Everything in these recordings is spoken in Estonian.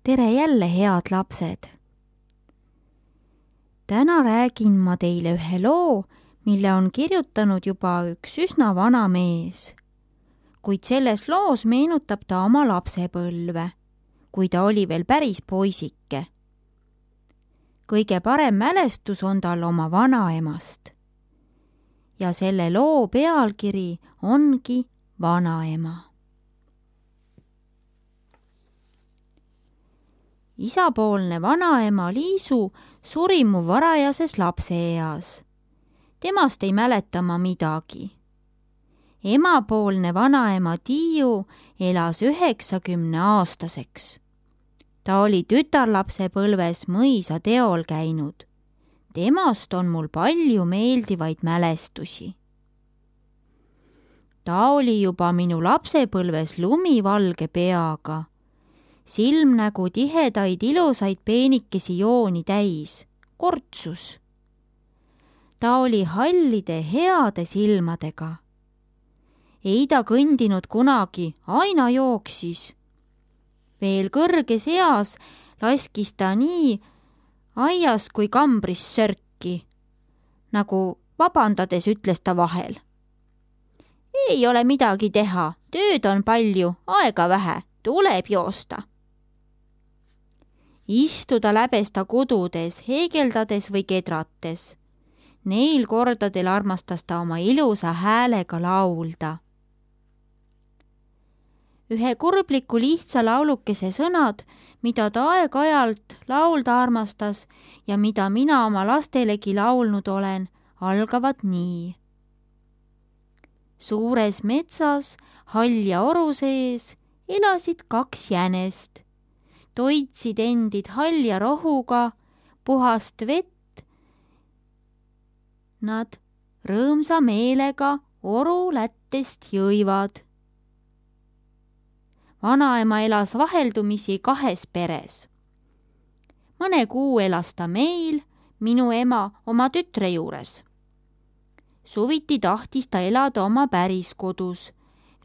tere jälle, head lapsed! Täna räägin ma teile ühe loo, mille on kirjutanud juba üks üsna vana mees. Kuid selles loos meenutab ta oma lapsepõlve, kui ta oli veel päris poisike. Kõige parem mälestus on tal oma vanaemast. Ja selle loo pealkiri ongi Vanaema. Isapoolne vanaema Liisu suri mu varajases lapseeas. Temast ei mäleta ma midagi. Emapoolne vanaema Tiiu elas 90-aastaseks. Ta oli tütarlapsepõlves mõisa teol käinud. Temast on mul palju meeldivaid mälestusi. Ta oli juba minu lapsepõlves lumivalge peaga. Silmnägu tihedaid ilusaid peenikesi jooni täis, kortsus. Ta oli hallide heade silmadega. Ei ta kõndinud kunagi, aina jooksis. Veel kõrges eas laskis ta nii aias kui kambris sörki, nagu vabandades ütles ta vahel. Ei ole midagi teha, tööd on palju, aega vähe, tuleb joosta. Istuda läbes ta kududes, heegeldades või kedrates. Neil kordadel armastas ta oma ilusa häälega laulda. Ühe kurbliku lihtsa laulukese sõnad, mida ta aeg-ajalt laulda armastas ja mida mina oma lastelegi laulnud olen, algavad nii. Suures metsas, halja oru sees, elasid 2 jänest. Toitsid endid halja rohuga, puhast vett. Nad rõõmsa meelega oru lättest jõivad. Vanaema elas vaheldumisi 2 peres. Mõne kuu elas ta meil, minu ema oma tütre juures. Suviti tahtis ta elada oma päris kodus,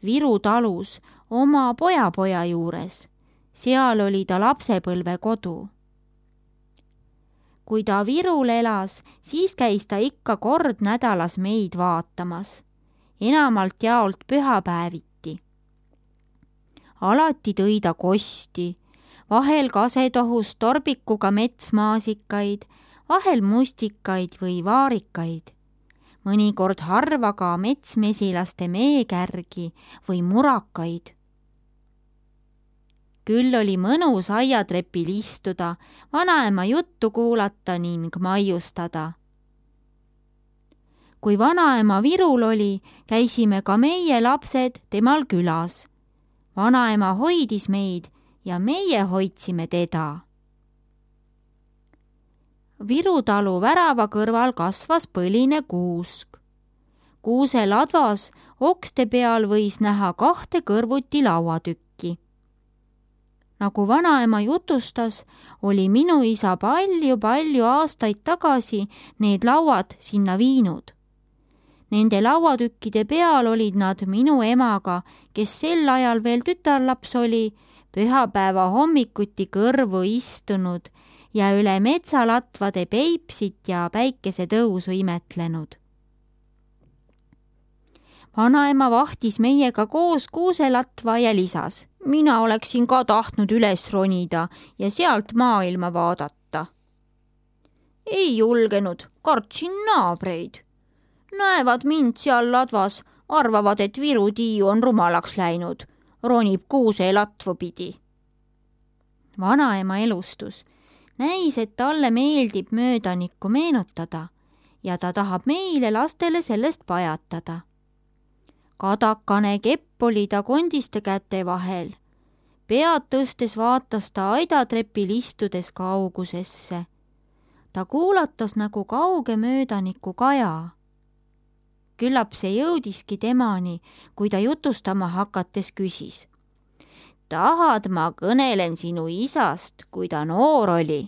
Viru talus, oma pojapoja juures. Seal oli ta lapsepõlve kodu. Kui ta Virul elas, siis käis ta ikka kord nädalas meid vaatamas. Enamalt jaolt pühapäeviti. Alati tõi ta kosti, vahel kasetohus torbikuga metsmaasikaid, vahel mustikaid või vaarikaid. Mõnikord harva ka metsmesilaste meekärgi või murakaid. Küll oli mõnus aiatrepil istuda, vanaema juttu kuulata ning maiustada. Kui vanaema Virul oli, käisime ka meie lapsed temal külas. Vanaema hoidis meid ja meie hoidsime teda. Viru talu värava kõrval kasvas põline kuusk. Kuuse ladvas okste peal võis näha 2 kõrvuti lauatükki. Nagu vanaema jutustas, oli minu isa palju aastaid tagasi need lauad sinna viinud. Nende lauatükkide peal olid nad minu emaga, kes sel ajal veel tütarlaps oli, pühapäeva hommikuti kõrvu istunud ja üle metsalatvade peipsit ja päikesetõusu imetlenud. Vanaema vahtis meiega koos kuuselatva ja lisas. Mina oleksin ka tahtnud üles ronida ja sealt maailma vaadata. Ei julgenud, kartsin naabreid. Näevad mind seal ladvas, arvavad, et Viru Tiiu on rumalaks läinud, ronib kuuselatvu pidi. Vanaema elustus. Näis, et talle meeldib möödanikku meenutada ja ta tahab meile lastele sellest pajatada. Kadakane kepp oli ta kondiste käte vahel. Pead tõstes vaatas ta aidatrepil istudes kaugusesse. Ta kuulatas nagu kauge möödaniku kaja. Küllap see jõudiski temani, kui ta jutustama hakates küsis. Tahad, ma kõnelen sinu isast, kui ta noor oli?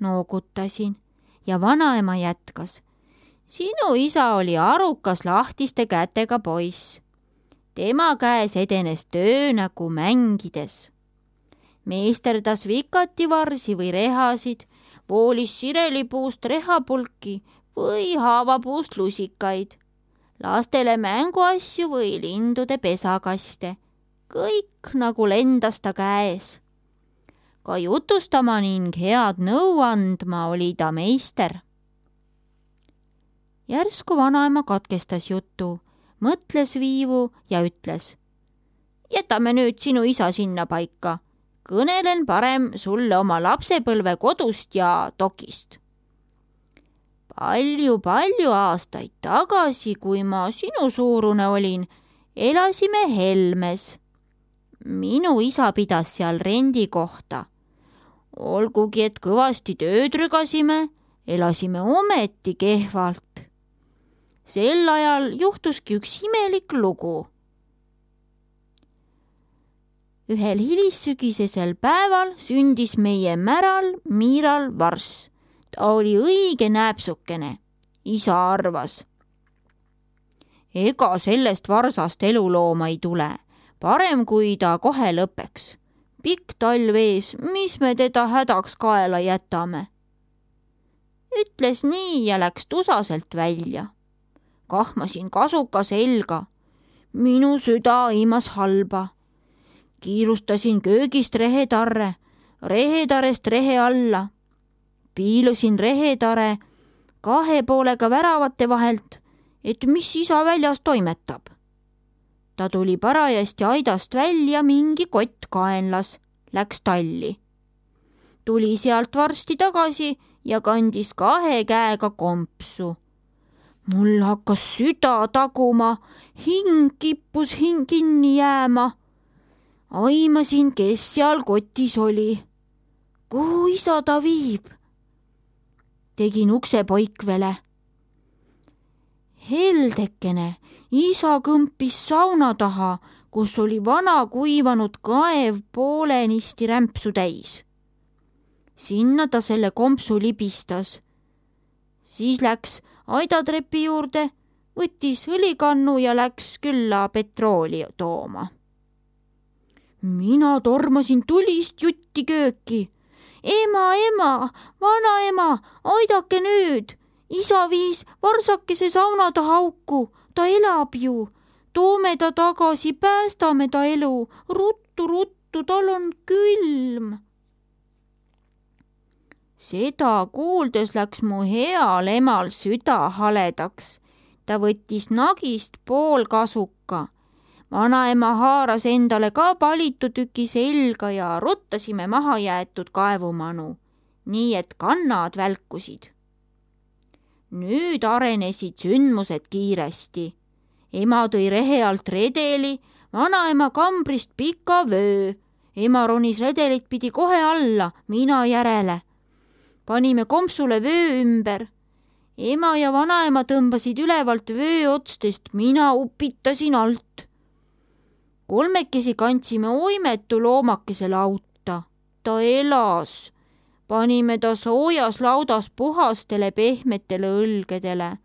Noogutasin ja vanaema jätkas. Sinu isa oli arukas lahtiste kätega poiss. Tema käes edenes töö nagu mängides. Meisterdas vikativarsi või rehasid, voolis sirelipuust rehapulki või haavapuust lusikaid, lastele mänguasju või lindude pesakaste, kõik nagu lendas ta käes. Ka jutustama ning head nõu andma oli ta meister. Järsku vanaema katkestas jutu, mõtles viivu ja ütles: jätame nüüd sinu isa sinna paika. Kõnelen parem sulle oma lapsepõlve kodust ja tokist. Palju aastaid tagasi, kui ma sinu suurune olin, elasime Helmes. Minu isa pidas seal rendikohta. Olgugi, et kõvasti tööd rügasime, elasime ometi kehvalt. Sel ajal juhtuski üks imelik lugu. Ühel hilissügisesel päeval sündis meie märal Miiral varss. Ta oli õige nääpsukene, isa arvas. Ega sellest varsast elulooma ei tule, parem kui ta kohe lõpeks. Pikk talv ees, mis me teda hädaks kaela jätame? Ütles nii ja läks tusaselt välja. Kahmasin kasuka selga. Minu süda aimas halba. Kiirustasin köögist rehetarre, rehetarest rehe alla. Piilusin rehetare 2 poolega väravate vahelt, et mis isa väljas toimetab. Ta tuli parajasti aidast välja mingi kott kaenlas, läks talli. Tuli sealt varsti tagasi ja kandis 2 käega kompsu. Mul hakkas süda taguma, hing kippus kinni jääma. Aimasin, kes seal kotis oli. Kuhu isa ta viib? Tegin ukse poikvele. Heldekene, isa kõmpis sauna taha, kus oli vana kuivanud kaev poolenisti rämpsu täis. Sinna ta selle kompsu libistas. Siis läks aidatrepi juurde, võttis õlikannu ja läks külla petrooli tooma. Mina tormasin tulist jutti kööki. Ema, vanaema, aidake nüüd. Isa viis varsakese sauna taha auku, ta elab ju. Toome ta tagasi, päästame ta elu. Ruttu, tal on külm. Seda kuuldes läks mu heal emal süda haledaks. Ta võttis nagist pool kasuka. Vanaema haaras endale ka palitu tüki selga ja ruttasime maha jäetud kaevumanu, nii et kannad välkusid. Nüüd arenesid sündmused kiiresti. Ema tõi rehe alt redeli, vanaema kambrist pika vöö. Ema ronis redelit pidi kohe alla, mina järele. Panime kompsule vöö ümber. Ema ja vanaema tõmbasid ülevalt vöö otstest, mina upitasin alt. 3 kandsime oimetu loomakese lauta. Ta elas. Panime ta soojas laudas puhastele pehmetele õlgedele.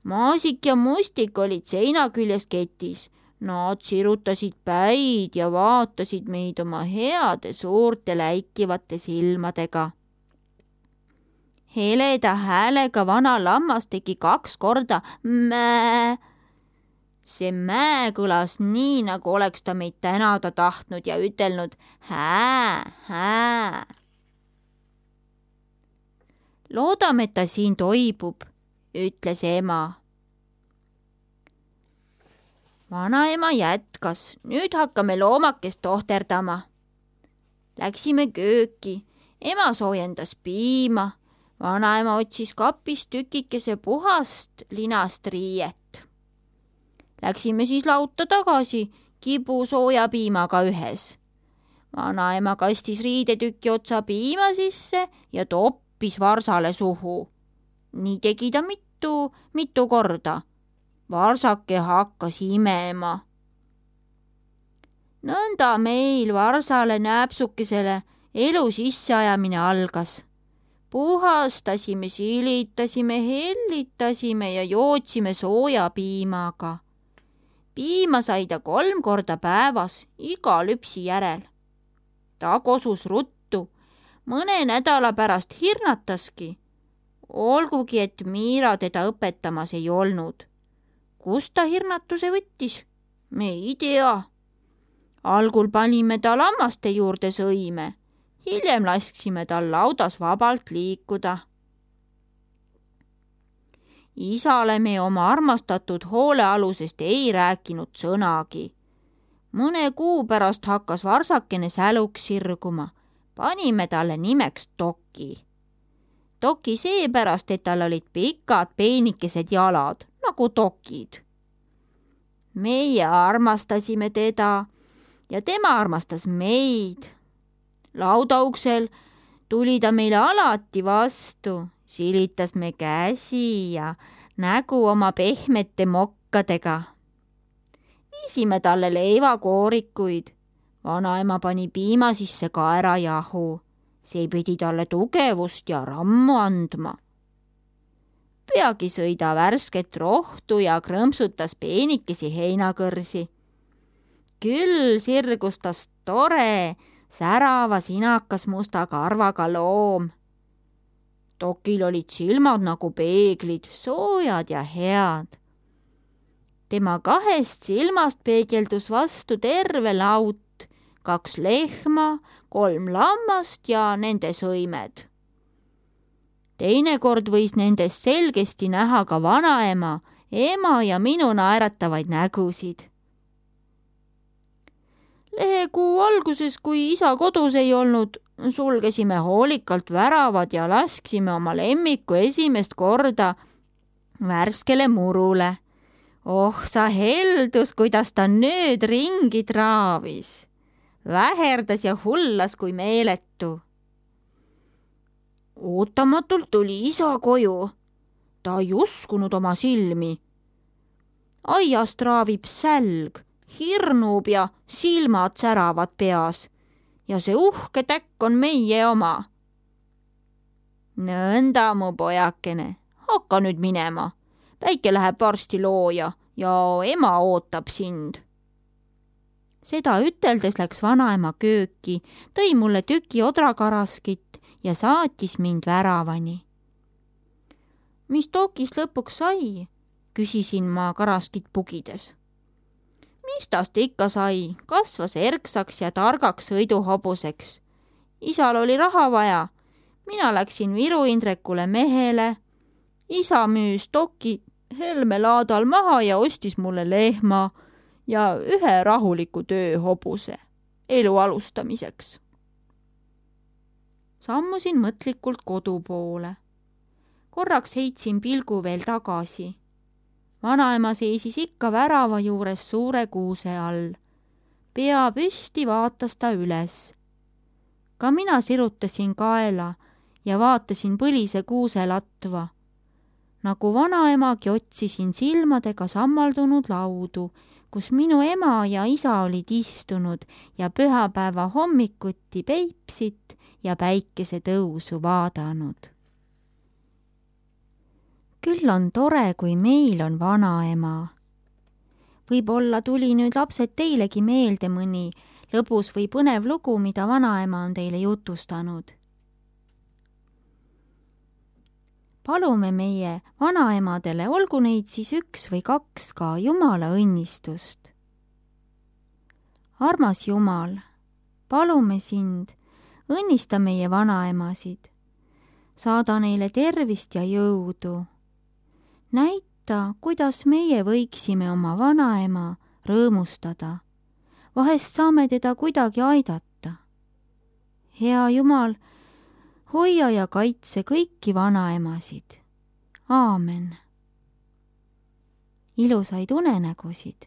Maasik ja mustik olid seina küljes ketis. Nad sirutasid päid ja vaatasid meid oma heade suurte läikivate silmadega. Heleda häälega vana lammas tegi 2 korda mää. See mää kõlas nii, nagu oleks ta meid tänada tahtnud ja ütelnud hää. Loodame, et ta siin toibub, ütles ema. Vanaema jätkas, nüüd hakkame loomakest tohterdama. Läksime kööki, ema soojendas piima, vanaema otsis kapist tükikese puhast linast riiet. Läksime siis lauta tagasi, kibu sooja piimaga ühes. Vanaema kastis riidetüki otsa piima sisse ja toppis varsale suhu. Nii tegi ta mitu korda. Varsake hakkas imema. Nõnda meil varsale nääpsukesele elu sisseajamine algas. Puhastasime, silitasime, hellitasime ja jootsime sooja piimaga. Piima sai ta 3 korda päevas iga lüpsi järel. Ta kosus ruttu. Mõne nädala pärast hirnataski. Olgugi, et Miira teda õpetamas ei olnud. Kust ta hirnatuse võttis? Me ei tea. Algul panime ta lammaste juurde sõime. Hiljem lasksime tal laudas vabalt liikuda. Isale me oma armastatud hoolealusest ei rääkinud sõnagi. Mõne kuu pärast hakkas varsakene säluks sirguma. Panime talle nimeks Toki. Toki seepärast, et tal olid pikad peenikesed jalad, nagu tokid. Meie armastasime teda ja tema armastas meid. Laudauksel tuli ta meile alati vastu, silitas me käsi ja nägu oma pehmete mokkadega. Viisime talle leivakoorikuid. Vanaema pani piima sisse kaerajahu. See pidi talle tugevust ja rammu andma. Peagi sõi ta värsket rohtu ja krõmpsutas peenikesi heinakõrsi. Küll sirgus tast tore, särava sinakas musta karvaga loom. Tokil olid silmad nagu peeglid, soojad ja head. Tema kahest silmast peegeldus vastu terve laut, 2 lehma, 3 lammast ja nende sõimed. Teinekord võis nendest selgesti näha ka vanaema, ema ja minu naeratavaid nägusid. Lehekuu alguses, kui isa kodus ei olnud, sulgesime hoolikalt väravad ja lasksime oma lemmiku esimest korda värskele murule. Oh, sa heldus, kuidas ta nüüd ringi traavis. Väherdas ja hullas kui meeletu. Ootamatult tuli isa koju. Ta ei uskunud oma silmi. Aias traavib sälg, hirnub ja silmad säravad peas. Ja see uhke täkk on meie oma. Nõnda, mu pojakene, hakka nüüd minema. Päike läheb varsti looja ja ema ootab sind. Seda üteldes läks vanaema kööki, tõi mulle tüki odrakaraskit ja saatis mind väravani. Mis Tokist lõpuks sai? Küsisin ma karaskit pugides. Mis tast ikka sai? Kasvas erksaks ja targaks sõiduhobuseks. Isal oli raha vaja. Mina läksin Viru Indrekule mehele. Isa müüs Toki Helme laadal maha ja ostis mulle lehma ja 1 rahuliku tööhobuse elu alustamiseks. Sammusin mõtlikult kodu poole. Korraks heitsin pilgu veel tagasi. Vanaema seisis ikka värava juures suure kuuse all. Pea püsti vaatas ta üles. Ka mina sirutasin kaela ja vaatasin põlise kuuse latva. Nagu vanaemagi otsisin silmadega sammaldunud laudu, kus minu ema ja isa olid istunud ja pühapäeva hommikuti Peipsit ja päikese tõusu vaadanud. Küll on tore, kui meil on vanaema. Võib-olla tuli nüüd lapsed teilegi meelde mõni lõbus või põnev lugu, mida vanaema on teile jutustanud. Palume meie vanaemadele, olgu neid siis 1 või 2 ka, Jumala õnnistust. Armas Jumal, palume sind, õnnista meie vanaemasid. Saada neile tervist ja jõudu. Näita, kuidas meie võiksime oma vanaema rõõmustada. Vahest saame teda kuidagi aidata. Hea Jumal, hoia ja kaitse kõiki vanaemasid. Aamen. Ilusaid unenägusid.